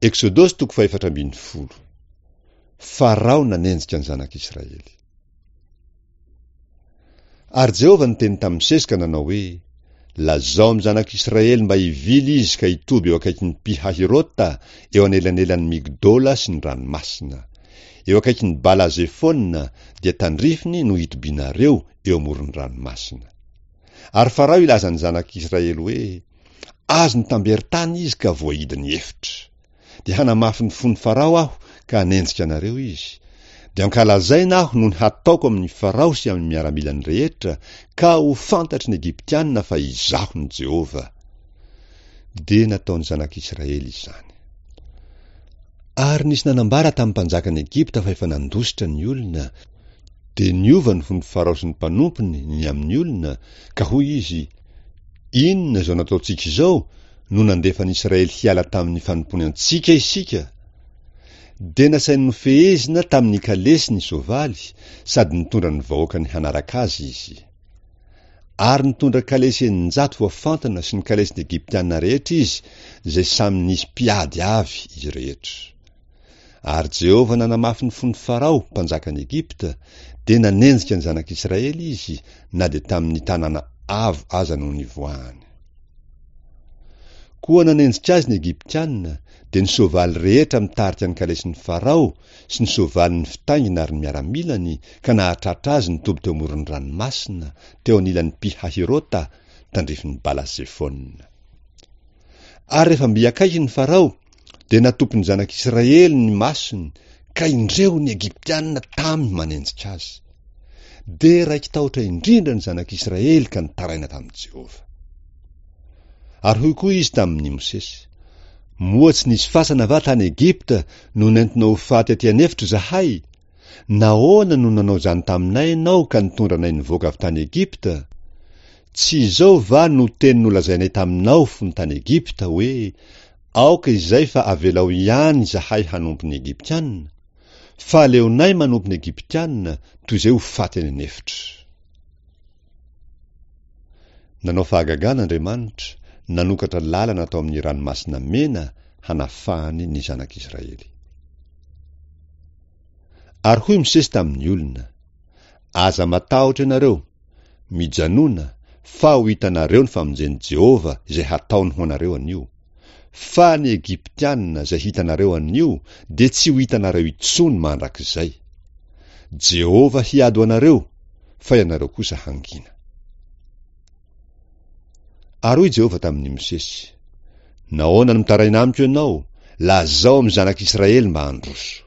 Eksodosy toko fahefatra ambin'ny folo. Farao nanenjika ny zanak'Israely. Ary Jehovah niteny tamin'i Mosesy ka nanao hoe, Lazao amin'ny zanak'Israely mba hivily izy ka hitoby eo akaikin'i Pi-Hahirota, eo anelanelan'i Migdola sy ny ranomasina. Eo akaikin'i Bala-Zefona, dia tandrifiny no hitobianareo eo amoron'ny ranomasina. Ary Farao hilaza ny zanak'Israely hoe, Azony tamberin-tany izy ka voahidy ny efitra. Dia hanamafy ny fon'i Farao aho ka hanenjika anareo izy. Dia hankalazaina aho noho ny hataoko amin'i Farao sy amin'ny miaramilany rehetra, ka ho fantatry ny Egyptiana fa izaho no Jehovah. Dia nataon'ny zanak'Israely izany. Ary nisy nanambara tamin'ny mpanjakan'i Egypta fa efa nandositra ny olona, dia niova ny fon'i Farao sy ny mpanompony ny amin'ny olona, ka hoy izy, Inona izao nataontsika izao no nandefa an'i Israely hiala tamin'ny fanompoany antsika isika? Dia nasainy nofehezina tamin'ny kalesy ny soavaly, sady nitondra ny vahoakany hanaraka azy izy. Ary nitondra kalesy 600 voafantina sy ny kalesin'ny Egyptiana rehetra izy, izay samy nisy mpiady avy izy rehetra. Ary Jehovah nanamafy ny fon'i Farao, mpanjakan'i Egypta, dia nanenjika ny zanak'Israely izy, na dia tamin'ny tanàna avo aza no nivoahany. Koa nanenjika azy ny Egyptiana, dia ny soavaly rehetra mitarika ny kalesin'i Farao, sy ny soavaliny fitaingina ary ny miaramilany, ka nahatratra azy nitoby teo amoron'ny ranomasina, teo anilan'i Pi-Hahirota, tandrifin'i Bala-Zefona. Ary rehefa mby akaiky ny Farao, dia natopy ny zanak'Israely ny masony, ka indreo ny Egyptiana tamy manenjika azy. Dia raiki-tahotra indrindra ny zanak'Israely ka nitaraina tamin'i Jehovah. Ary hoy koa izy tamin'i Mosesy, Moa tsy nisy fasana va tany Egypta no nentinao ho faty aty an'efitra izahay? Nahoana no nanao izany taminay ianao ka nitondra anay nivoaka avy tany Egypta? Tsy izao va no teny nolazainay taminao fony tany Egypta, hoe, Aoka izay fa avelao ihany izahay hanompo ny Egyptiana? Fa aleonay manompo ny Egyptiana toy izay ho faty any an'efitra. Nanao fahagagana Andriamanitra, nanokatra lalana tao amin'ny Ranomasina Mena hanafahany ny Zanak'Israely. Ary hoy Mosesy tamin'ny olona, Aza matahotra ianareo, mijanòna, fa ho hitanareo ny famonjen'i Jehovah izay hataony ho anareo anio. Fa ny Egyptiana izay hitanareo anio dia tsy ho hitanareo intsony mandrakizay. Jehovah hiady ho anareo, fa ianareo kosa hangina. Ary hoy Jehovah tamin'i Mosesy, Nahoana no mitaraina amiko ianao? Lazao amin'ny zanak'Israely mba handroso.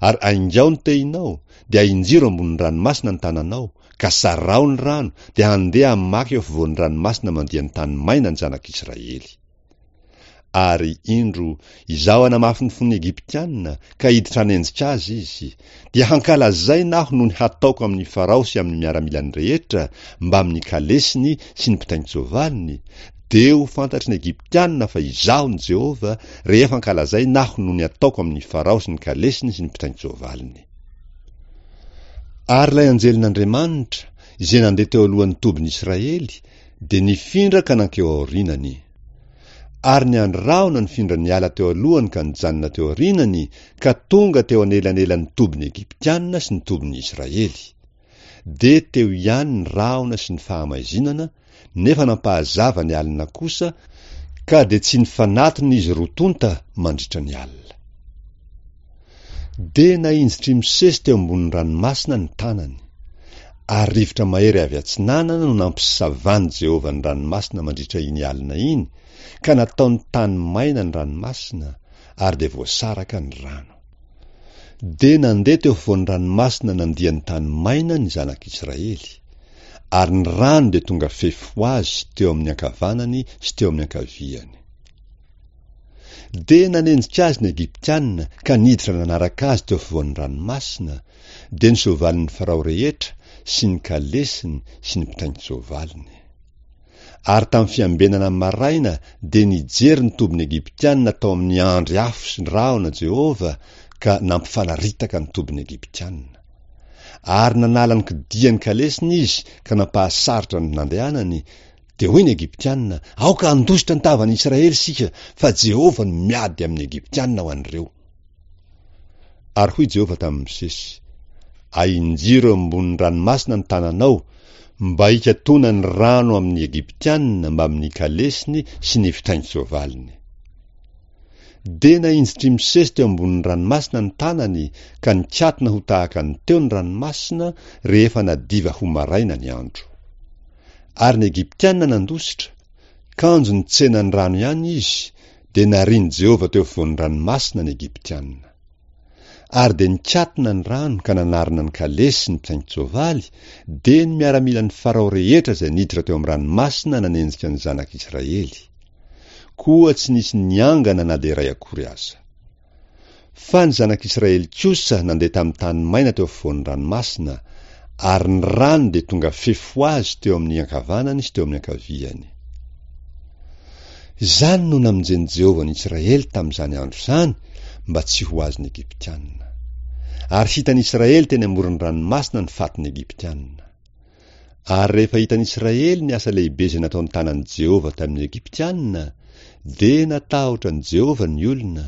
Ary aingao ny tehinao, dia ahinjiro ambonin'ny ranomasina ny tananao, ka saraho ny rano, dia handeha hamaky eo afovoan'ny ranomasina mandia ny tany maina ny zanak'Israely. Ary, indro, Izaho hanamafy ny fon'ny Egyptiana, ka hiditra hanenjika azy izy. Dia hankalazaina Aho noho ny hataoko amin'i Farao sy amin'ny miaramilany rehetra, mbamin'ny kalesiny sy ny mpitaingin-tsoavaliny, dia ho fantatry ny Egyptiana fa Izaho no Jehovah, rehefa ankalazaina Aho noho ny ataoko amin'i Farao sy ny kalesiny sy ny mpitaingin-tsoavaliny. Ary ilay anjelin'Andriamanitra, izay nandeha teo alohan'ny tobin'Israely, dia nifindra ka nankeo aorianany. Ary ny andry rahona nifindra niala teo alohany ka nijanona teo aorianany ka tonga teo anelanelan'ny tobin'ny Egyptiana sy ny tobin'ny Israely. Dia teo ihany ny rahona sy ny fahamaizinana, nefa nampahazava ny alina kosa, ka dia tsy nifanatona izy roa tonta mandritra ny alina. Dia nahinjitr'i Mosesy teo ambonin'ny ranomasina ny tanany, ary rivotra mahery avy atsinanana no nampisavan'i Jehovah ny ranomasina mandritra iny alina iny, ka nataony tany maina ny ranomasina, ary dia voasaraka ny rano. Dia nandeha teo afovoan'ny ranomasina nandia ny tany maina ny zanak'Israely, ary ny rano dia tonga fefy ho azy teo amin'ny ankavanany sy teo amin'ny ankaviany. Dia nanenjika azy ny Egyptiana ka niditra nanaraka azy teo afovoan'ny ranomasina, dia ny soavalin'i Farao rehetra sy ny kalesiny sy ny mpitaingin-tsoavaliny. Ary tamin'ny fiambenana maraina dia nijery ny tobin'ny Egyptiana tao amin'ny andry afo sy ny rahona Jehovah ka nampifanaritaka ny tobin'ny Egyptiana. Ary nanala ny kodian'ny kalesiny izy ka nampahasarotra ny nandehanany. Dia hoy ny Egyptiana, Aoka handositra ny tavan'ny Israely isika, fa Jehovah no miady amin'ny Egyptiana ho an'ireo. Ary hoy Jehovah tamin'i Mosesy, Ahinjiro eo ambonin'ny ranomasina ny tananao, mba hikatona ny rano amin'ny Egyptiana mbamin'ny kalesiny sy ny fitaingin-tsoavaliny. Dia nahinjitr'i Mosesy teo ambonin'ny ranomasina ny tanany ka nikatona ho tahaka ny teo ny ranomasina rehefa nadiva ho maraina ny andro. Ary ny Egyptiana nandositra, kanjo nitsena ny rano ihany izy, dia narian'i Jehovah teo afovoan'ny ranomasina ny Egyptiana. Ary dia nikatona ny rano ka nanarona ny kalesy sy ny mpisaingin-tsoavaly, dia ny miaramilan'i Farao rehetra izay niditra teo amin'ny ranomasina nanenjika ny zanak'Israely. Koa tsy nisy niangana na dia iray akory aza. Fa ny zanak'Israely kosa nandeha tamin'ny tany maina teo afovoan'ny ranomasina, ary ny rano dia tonga fefy ho azy teo amin'ny ankavanany sy teo amin'ny ankaviany. Izany no namonjen'i Jehovah ny Israely tamin'izany andro izany mba tsy ho azon'ny Egyptiana. Ary hitan'ny Israely teny amoron'ny ranomasina ny fatin'ny Egyptiana. Ary rehefa hitan'ny Israely ny asa lehibe izay nataon'ny tanan'i Jehovah tamin'ny Egyptiana, dia natahotra an'i Jehovah ny olona,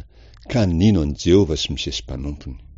ka nino an'i Jehovah sy Mosesy mpanompony.